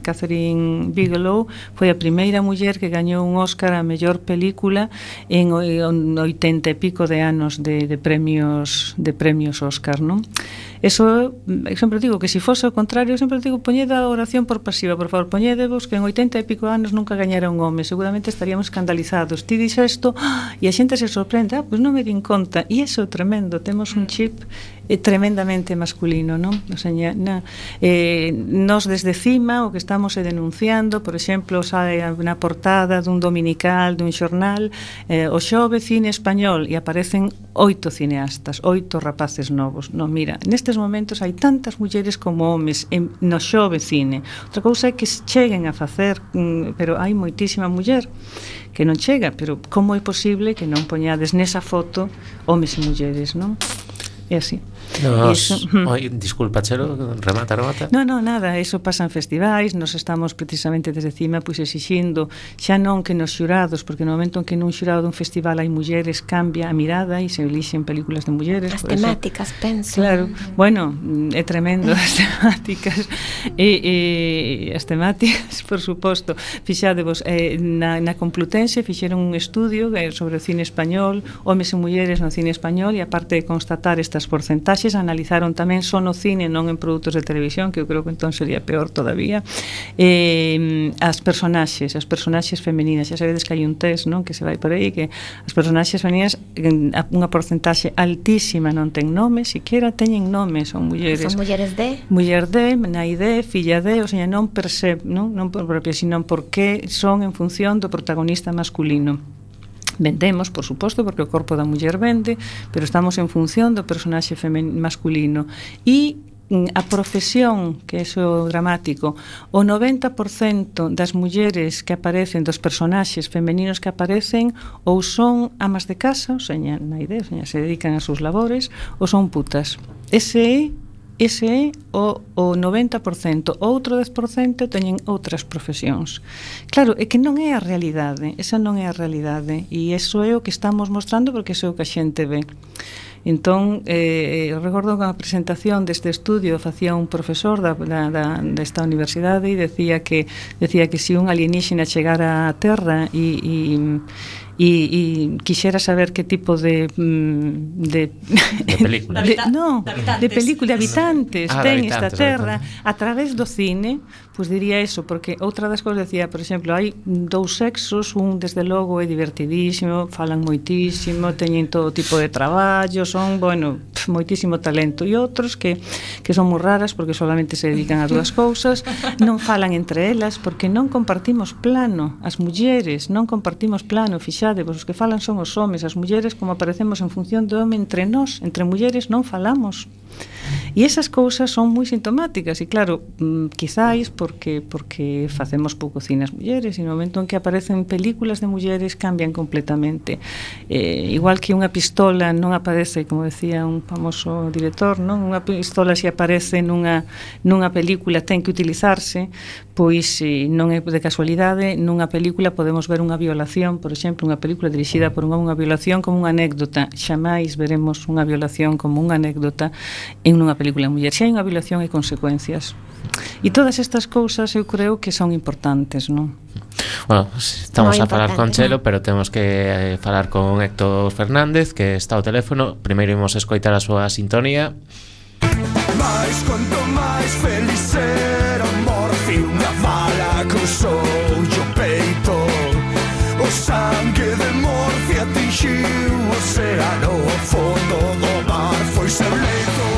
Catherine Bigelow foi a primeira muller que gañou un Óscar a mellor película en oitenta e pico de anos de, de premios de premios Óscar, non? Eso, eu sempre digo que se fose ao contrario, eu sempre digo, poñede a oración por pasiva, por favor, poñedevos que en oitenta e pico anos nunca gañara un home, seguramente estaríamos escandalizados. Ti dixo isto, e a xente se sorprende, ah, pois non me din conta, e iso é tremendo, temos un chip eh, tremendamente masculino, non? O sea, na, eh, nos desde cima o que estamos é denunciando, por exemplo, sae na portada dun dominical, dun xornal, eh, o xove cine español, e aparecen oito cineastas, oito rapaces novos. Non, mira, nestes momentos hai tantas mulleres como homes en, no xove cine. Outra cousa é que cheguen a facer, mm, pero hai moitísima muller que non chega, pero como é posible que non poñades nesa foto homes e mulleres, non? É así. Nos, oi, disculpa, Chelo, remata, remata. No, no, nada, eso pasa en festivais, nos estamos precisamente desde cima pois exixindo, xa non que nos xurados, porque no momento en que nun xurado dun festival hai mulleres, cambia a mirada e se elixen películas de mulleres. As temáticas, eso, penso. Claro, bueno, é tremendo as temáticas e, e as temáticas, por suposto, fixadevos, eh, na, na Complutense fixeron un estudio sobre o cine español, homes e mulleres no cine español, e aparte de constatar estas porcentaxes, analizaron tamén só no cine, non en produtos de televisión, que eu creo que entón sería peor todavía, eh, as personaxes, as personaxes femininas. Xa sabedes que hai un test, non, que se vai por aí, que as personaxes femininas, unha porcentaxe altísima non ten nome, siquiera teñen nome, son mulleres. Son mulleres de? Muller de, nai de, filla de, o sea, non per se, non, non por propia, sino porque son en función do protagonista masculino. Vendemos, por suposto, porque o corpo da muller vende, pero estamos en función do personaxe masculino. E a profesión, que é o dramático, o noventa por cento das mulleres que aparecen, dos personaxes femeninos que aparecen, ou son amas de casa, ou seña, na idea, o seña, se dedican a sus labores, ou son putas. Ese é Ese é o, o noventa por cento. Outro dez por cento teñen outras profesións. Claro, é que non é a realidade. Esa non é a realidade. E iso é o que estamos mostrando, porque iso é o que a xente ve. Entón, eh, eu recordo que a presentación deste estudio facía un profesor da, da, da, desta universidade e decía que, decía que se un alienígena chegara á Terra e... e e quixera saber que tipo de de, de película de, no, de, de película de habitantes ah, ten de esta habitantes, terra a través do cine. Pois diría eso, porque outra das cousas decía, por exemplo, hai dous sexos, un desde logo é divertidísimo, falan moitísimo, teñen todo tipo de traballo, son, bueno, moitísimo talento, e outros que, que son moi raras porque solamente se dedican a dúas cousas, non falan entre elas porque non compartimos plano, as mulleres non compartimos plano, fixade, vos os que falan son os homes, as mulleres como aparecemos en función do home entre nós, entre mulleres non falamos. E esas cousas son moi sintomáticas e claro, quizáis porque porque facemos pouco cine as mulleres e no momento en que aparecen películas de mulleres cambian completamente. Eh, igual que unha pistola non aparece, como decía un famoso director, non? Unha pistola se aparece nunha nunha película ten que utilizarse, pois eh, non é de casualidade, nunha película podemos ver unha violación, por exemplo, unha película dirixida por unha, unha violación como unha anécdota. Xamais veremos unha violación como unha anécdota en unha película de muller. Se hai unha violación hai consecuencias. E todas estas cousas eu creo que son importantes, non? Bueno, estamos Moi a falar con importante. Chelo, pero temos que eh, falar con Héctor Fernández, que está ao teléfono. Primeiro imos escoitar a súa sintonía. Mais quanto máis feliz era Morphy, unha bala cruzou o peito. O sangue de Morphy atingiu o océano, o fondo do mar foi seu leito.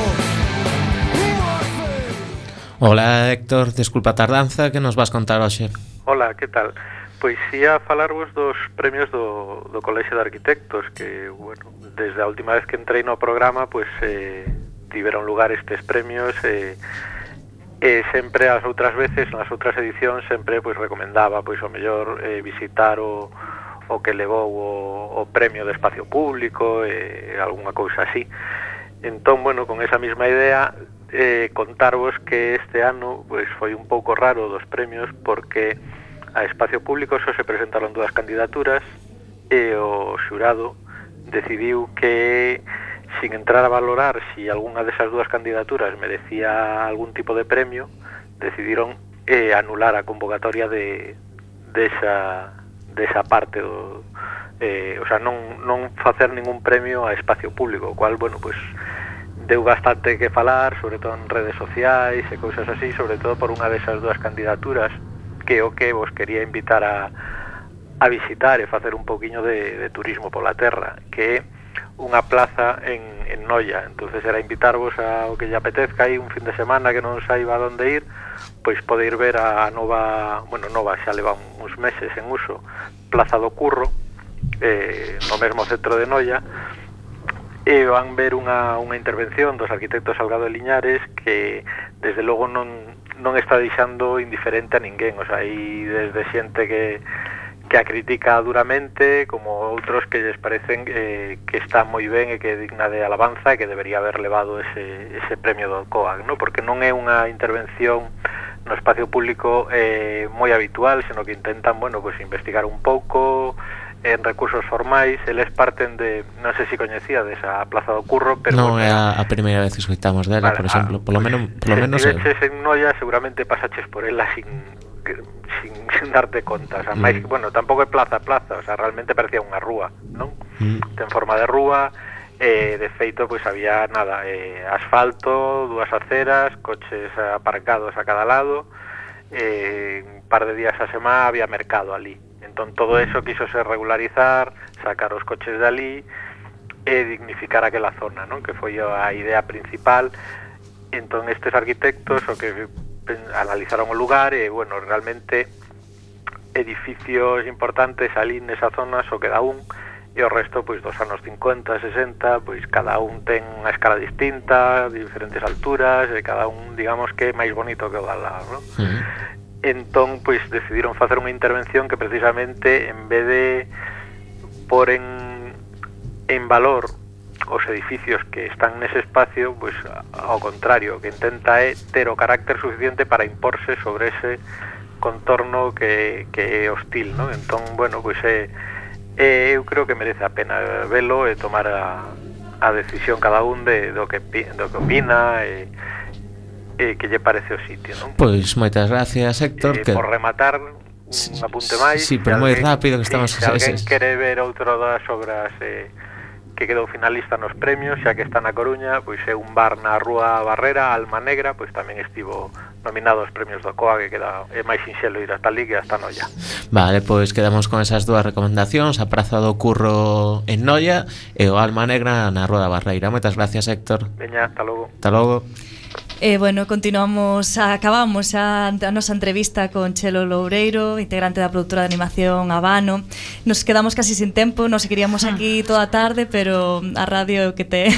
Hola Héctor, desculpa a tardanza, que nos vas contar hoxe? Hola, que tal? Pois ia falarvos dos premios do, do Colexio de Arquitectos, que, bueno, desde a última vez que entrei no programa, pois eh, tiveron lugar estes premios e eh, eh, sempre as outras veces, nas outras edicións, sempre pois recomendaba pois o mellor eh, visitar o, o que levou o, o premio de espacio público e eh, algunha cousa así. Entón, bueno, con esa mesma idea, eh, contarvos que este ano pois foi un pouco raro dos premios porque a espacio público só se presentaron dúas candidaturas e o xurado decidiu que, sin entrar a valorar si algunha desas dúas candidaturas merecía algún tipo de premio, decidiron eh, anular a convocatoria de desa, desa parte do, eh, o sea, non, non facer ningún premio a espacio público, o cual, bueno, pues deu bastante que falar, sobre todo en redes sociais e cousas así, sobre todo por unha desas dúas candidaturas que o que vos quería invitar a, a visitar e facer un pouquiño de, de turismo pola terra, que é unha plaza en, en Noia. Entonces era invitarvos ao que lle apetezca aí un fin de semana que non saiba onde ir, pois pode ir ver a nova, bueno, nova xa leva uns meses en uso, Plaza do Curro, eh, no mesmo centro de Noia, e van ver unha, unha intervención dos arquitectos Salgado e Liñares que desde logo non, non está deixando indiferente a ninguén. O sea, hai desde xente que, que a critica duramente, como outros que lles parecen eh, que está moi ben e que é digna de alabanza e que debería haber levado ese, ese premio do COAG, ¿no? Porque non é unha intervención no espacio público eh, moi habitual, sino que intentan, bueno, pues investigar un pouco en recursos formais. Eles parten de, non sei se coñecía desa Plaza do Curro, pero non bueno, é a, a primeira vez que escoitamos dela, vale, por exemplo, ah, polo menos, polo se menos estiveches en Noia, seguramente pasaches por ela sin, sin, sin darte conta, o sea, mm. máis, bueno, tampouco é plaza plaza, o sea, realmente parecía unha rúa, non? Mm. Ten forma de rúa, eh, de feito, pois pues, había nada, eh, asfalto, dúas aceras, coches aparcados a cada lado, eh, un par de días a semana había mercado ali. Entón todo eso quisose regularizar, sacar os coches de ali e dignificar aquela zona, non? Que foi a idea principal. Entón estes arquitectos o que analizaron o lugar e, bueno, realmente edificios importantes ali nesa zona só queda un, e o resto, pois, dos anos cincuenta, sesenta, pois cada un ten unha escala distinta, de diferentes alturas, e cada un, digamos, que é máis bonito que o da lado, non? Uh-huh. Entón, pois, decidiron facer unha intervención que precisamente, en vez de por en, en valor os edificios que están nese espacio, pois, ao contrario, que intenta é ter o carácter suficiente para imporse sobre ese contorno que, que é hostil, non? Entón, bueno, pois, é, é, eu creo que merece a pena velo e tomar a, a decisión cada un de, do, que, do que opina e eh, que lle parece o sitio, non? Pois moitas gracias, Héctor. Eh, que... Por rematar, un apunte máis. Sí, pero moi rápido que sí, estamos... Se alguén quere ver outra das obras eh, que quedou finalista nos premios, xa que está na Coruña, pois é un bar na Rúa Barrera, Alma Negra, pois tamén estivo nominado aos premios do C O A, que queda é máis sinxelo ir hasta ali que hasta Noia. Vale, pois quedamos con esas dúas recomendacións, a Praza do Curro en Noia e o Alma Negra na Rúa da Barreira. Moitas gracias, Héctor. Veña, hasta logo. Hasta logo. Eh, bueno, continuamos, acabamos a, a nosa entrevista con Chelo Loureiro, integrante da produtora de animación Habano. Nos quedamos casi sin tempo, nos queríamos aquí toda a tarde, pero a radio que te...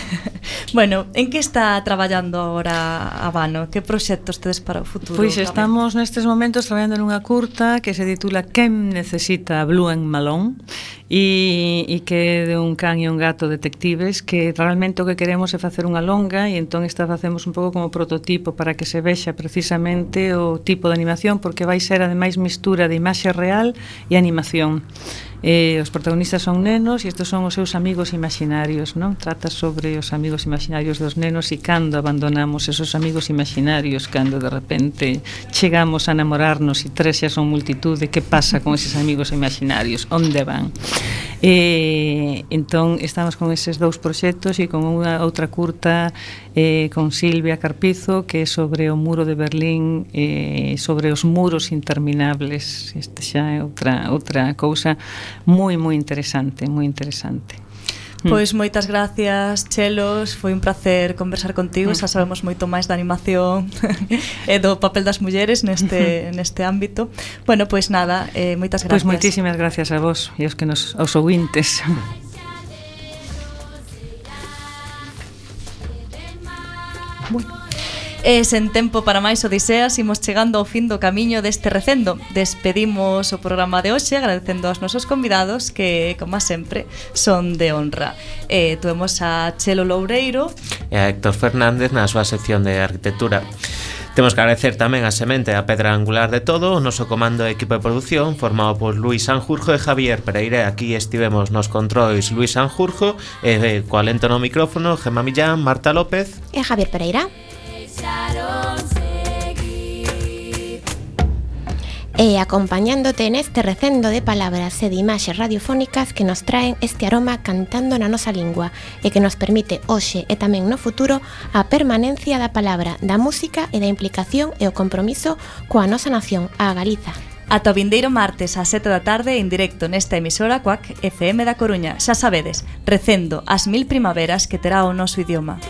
Bueno, en que está traballando agora Habano? Que proxectos tedes para o futuro? Pois estamos nestes momentos traballando nunha curta que se titula Quen necesita Blue and Malone, e, e que é de un can e un gato detectives, que realmente o que queremos é facer unha longa, e entón esta facemos un pouco como prototipo para que se vexa precisamente o tipo de animación, porque vai ser ademais mistura de imaxe real e animación. Eh, os protagonistas son nenos e estes son os seus amigos imaginarios, non? Trata sobre os amigos imaginarios dos nenos e cando abandonamos esos amigos imaginarios, cando de repente chegamos a namorarnos e tres xa son multitude, que pasa con eses amigos imaginarios? Onde van? Eh, entón estamos con eses dous proxectos e con unha outra curta eh, con Silvia Carpizo, que é sobre o muro de Berlín, eh, sobre os muros interminables. Este xa é outra, outra cousa moi, moi interesante, moi interesante. Pois moitas gracias, Chelos, foi un placer conversar contigo, xa sabemos moito máis da animación e do papel das mulleres neste neste ámbito. Bueno, pois nada, eh, moitas gracias. Pois moitísimas gracias a vos e aos que nos aos ouvintes. Bueno. E sen tempo para máis odiseas, imos chegando ao fin do camiño deste recendo. Despedimos o programa de hoxe agradecendo aos nosos convidados que, como sempre, son de honra. E tuemos a Chelo Loureiro e a Héctor Fernández na súa sección de arquitectura. Temos que agradecer tamén a semente a pedra angular de todo, o noso comando e equipo de produción formado por Luis Sanjurjo e Javier Pereira. Aquí estivemos nos controis Luis Sanjurjo e coa lento no micrófono Gemma Millán, Marta López e Javier Pereira. E acompañándote neste recendo de palabras e de imaxes radiofónicas que nos traen este aroma cantando na nosa lingua e que nos permite hoxe e tamén no futuro a permanencia da palabra, da música e da implicación e o compromiso coa nosa nación, a Galiza. Ata o vindeiro martes ás sete da tarde en directo nesta emisora Cuac F M da Coruña. Xa sabedes, recendo as mil primaveras que terá o noso idioma.